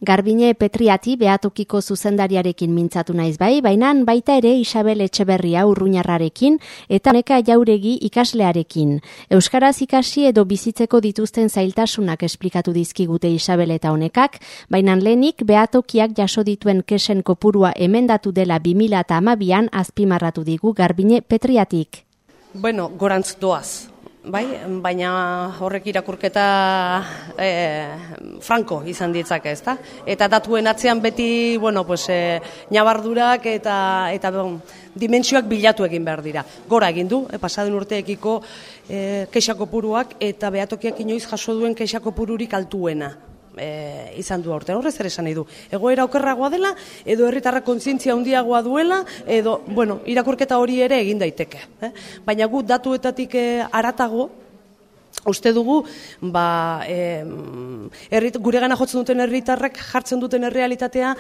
Garbine Petriati behatokiko zuzendariarekin mintzatu naiz bai, baina baita ere Isabel Etxeberria urruñarrarekin eta Neka Jauregi ikaslearekin. Euskaraz ikasi edo bizitzeko dituzten zailtasunak esplikatu dizkigute Isabel eta Honekak, baina lehenik behatokiak jaso dituen kesen kopurua emendatu dela 2012an azpimarratu digu Garbine Petriatik. Bueno, gorantz doaz. Bai, baina horrek irakurketa franko izan ditzake, ezta? Eta datuen atzean beti, nabardurak eta dimentsioak bilatu egin behar dira. Gora egin du, pasaden urteekiko kexa kopuruak eta behatokiak inoiz jaso duen kexa kopururik altuena. Izan du aurten, horrez ere esan nahi du. Egoera okerragoa dela, edo herritarra kontzientzia handiagoa duela, edo, irakurketa hori ere egin daiteke. Baina gu datuetatik haratago, uste dugu, guregana jotzen duten herritarrek jartzen duten errealitatea,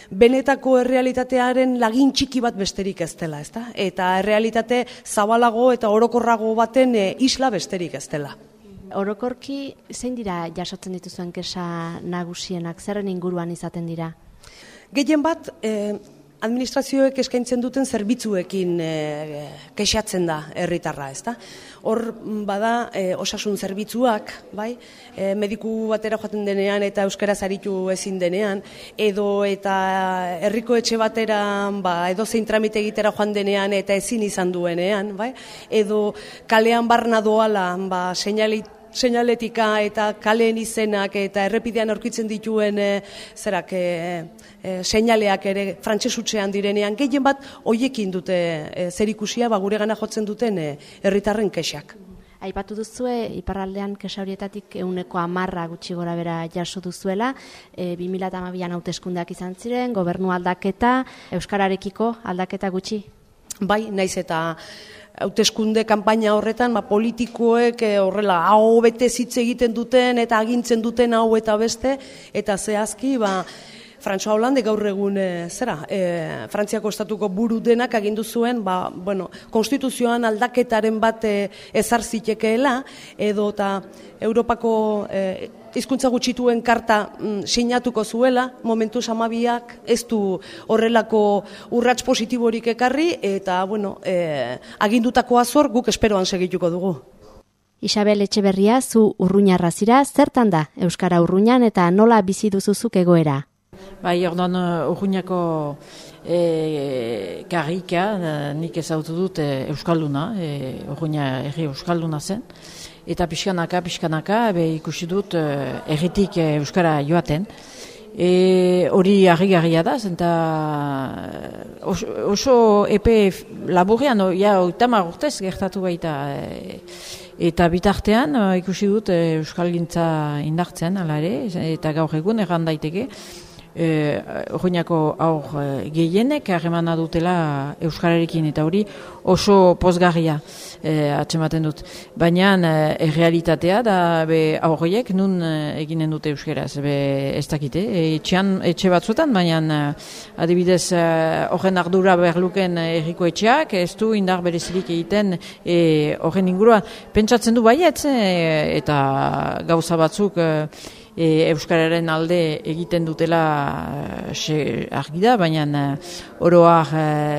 benetako errealitatearen lagin txiki bat besterik ez dela, ezta? Eta errealitate zabalago eta orokorrago baten isla besterik ez dela. Orokorki, zein dira jasotzen dituzuen kexa nagusienak, zerren inguruan izaten dira? Gehien bat, administrazioek eskaintzen duten zerbitzuekin kexatzen da herritarra, ezta? Hor bada osasun zerbitzuak, bai? Mediku batera joaten denean eta euskaraz aritu ezin denean, edo eta herriko etxe batera edo zein tramite egitera joan denean eta ezin izan duenean, bai? Edo kalean barna doala, seinaletika eta kaleen izenak eta errepidean aurkitzen dituen seinaleak ere frantsesutzean direnean, gehien bat hoiekin dute zerikusia guregana jotzen duten herritarren kexak. Aipatu duzue, iparraldean kexa horietatik 10% gutxi gora bera jaso duzuela, 2012an hauteskundeak izan ziren, gobernu aldaketa, euskararekiko aldaketa gutxi? Bai, naiz eta hauteskunde kanpaina horretan politikoek horrela hau bete hitz egiten duten eta agintzen duten hau eta beste, eta zehazki François Hollande gaur egun Frantziako estatuko buru denak agindu zuen konstituzioan aldaketaren bat ezar zitekeela, edo eta Europako hizkuntza gutxituen karta sinatuko zuela, momentuz 12ak ez du horrelako urrats positiborik ekarri, eta agindutako azor guk esperoan segituko dugu. Isabel Etxeberria, zu urruñarra zira, zertan da Euskara Urruñan eta nola bizi duzuzuk egoera? Bai, orduan urruñako karrika, nik ezautu dut Euskalduna, urruña herri Euskalduna zen, eta pixkanaka, ikusi dut erritik Euskara joaten. Hori harrigarria da, eta oso epe laburrean, 30 urtez gertatu baita, eta bitartean ikusi dut Euskalgintza indartzen, ala ere, eta gaur egun erran daiteke, Urruñako aur gehienek harremana dutela euskararekin, eta hori oso pozgarria atzematen dut. Baina errealitatea da aurriek nun eginen dute euskaraz, ez dakite. Etxe batzuetan, baina adibidez horren ardura berluken herriko etxeak, ez du indar berezirik egiten horren inguruan. Pentsatzen du baietz, eta gauza batzuk euskararen alde egiten dutela argi da, baina oroak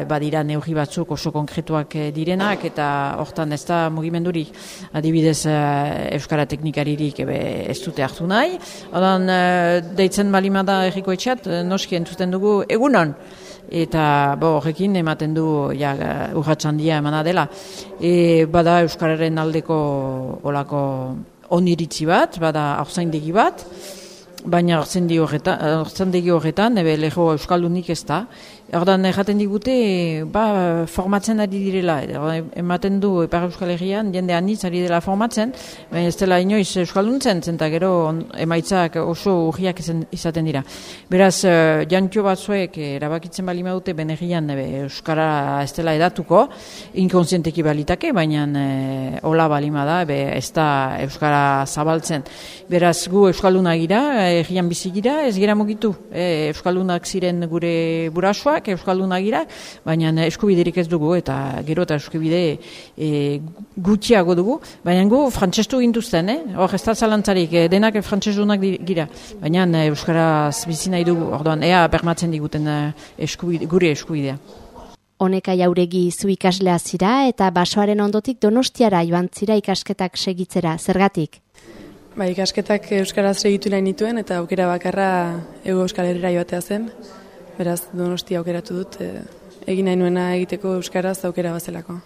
badira neurri batzuk oso konkretuak direnak, eta hortan ez da mugimendurik, adibidez euskara teknikaririk ez dute hartu nahi. Odan deitzen balimada herriko etxeat, noski entzuten dugu egunon, eta horrekin ematen du urratsandia emana dela. Bada euskararen aldeko olako oniritzi bat, bada haurtzaindegi bat, baina haurtzaindegi horretan lego euskaldunik ez da. Ordan erraten digute, formatzen ari direla, ematen du Ipar Euskal Herrian, jende anitz ari dela formatzen, baina ez dela inoiz euskalduntzen, eta gero emaitzak oso urriak izaten dira. Beraz, jantxo batzuek erabakitzen bali madute benerrian euskara ez dela edatuko, inkonsienteki balitake, baina hola balima da, ez da euskara zabaltzen. Beraz, gu euskalduna gira, herrian bizi gira, ez gira mugitu. Euskaldunak ziren gure burasoak, euskaldunak gira, baina eskubiderik ez dugu, eta gero eta eskubide gutxiago dugu, baina gu frantsestu gintuzten, hor ez da zalantzarik, denak frantsestunak gira, baina euskaraz bizi nahi dugu, orduan, ea bermatzen diguten gure eskubidea. Oneka Jauregi zu ikaslea zira eta basoaren ondotik Donostiara joan zira ikasketak segitzera, zergatik? Ikasketak euskaraz segitu nahi nituen eta aukera bakarra Hego Euskal Herrira joatea zen. Beraz, Donostia aukeratu dut, egin nahi nuena egiteko euskaraz aukera bazelako.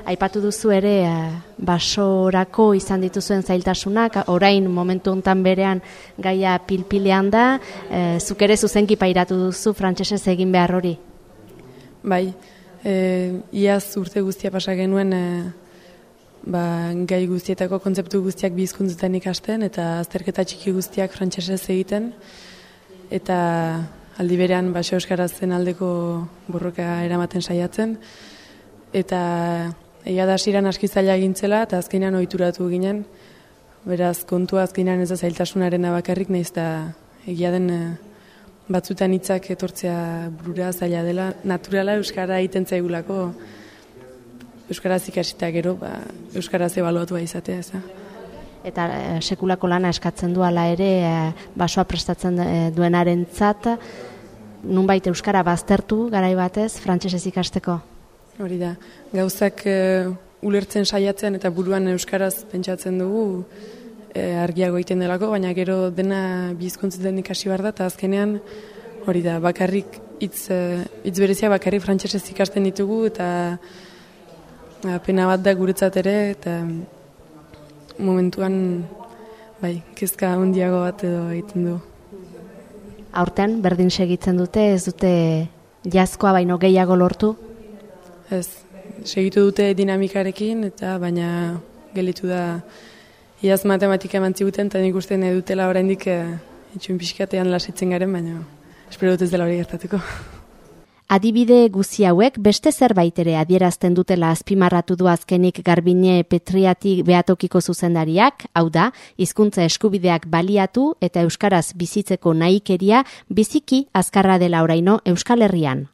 Aipatu duzu ere basorako izan dituzuen zailtasunak, orain momentu hontan berean gaia pilpilean da, zuk ere zuzenki pairatu duzu frantsesez egin behar hori? Bai, iaz urte guztia pasa genuen gai guztietako kontzeptu guztiak bi hizkuntzetan ikasten eta azterketa txiki guztiak frantsesez egiten eta aldi berean baso euskarazen aldeko borroka eramaten saiatzen eta egia da hasieran aski zaila egintzela eta azkenean ohituratu ginen, beraz kontua azkenean ez da zailtasunarena bakarrik, nahiz eta egia den batzutan hitzak etortzea burura zaila dela, naturala euskara egiten zaigulako, euskaraz ikasita gero, euskaraz ebaluatua izatea, ez da. Eta sekulako lana eskatzen du hala ere, basoa prestatzen duenarentzat, nunbait euskara baztertu garai batez, frantsesez ikasteko? Hori da, gauzak ulertzen saiatzen eta buruan euskaraz pentsatzen dugu, argiago egiten delako, baina gero dena bi hizkuntzetan ikasi behar da, eta azkenean hori da, bakarrik hitz berezia bakarrik frantsesez ikasten ditugu, eta pena bat da guretzat ere, eta momentuan kezka handiago bat edo egiten du. Aurten berdin segitzen dute, ez dute jazkoa baino gehiago lortu? Ez, segitu dute dinamikarekin, eta baina gelitu da iaz matematika eman ziguten, eta nik uste nahi dutela oraindik itxuin pixkatean lasitzen garen, baina espero dut ez dela hori gertatuko. Adibide guzi hauek beste zerbait ere adierazten dutela azpimarratu du azkenik Garbine Petriati Beatokiko zuzendariak, hau da, hizkuntza eskubideak baliatu eta euskaraz bizitzeko nahikeria biziki azkarra dela oraino Euskal Herrian.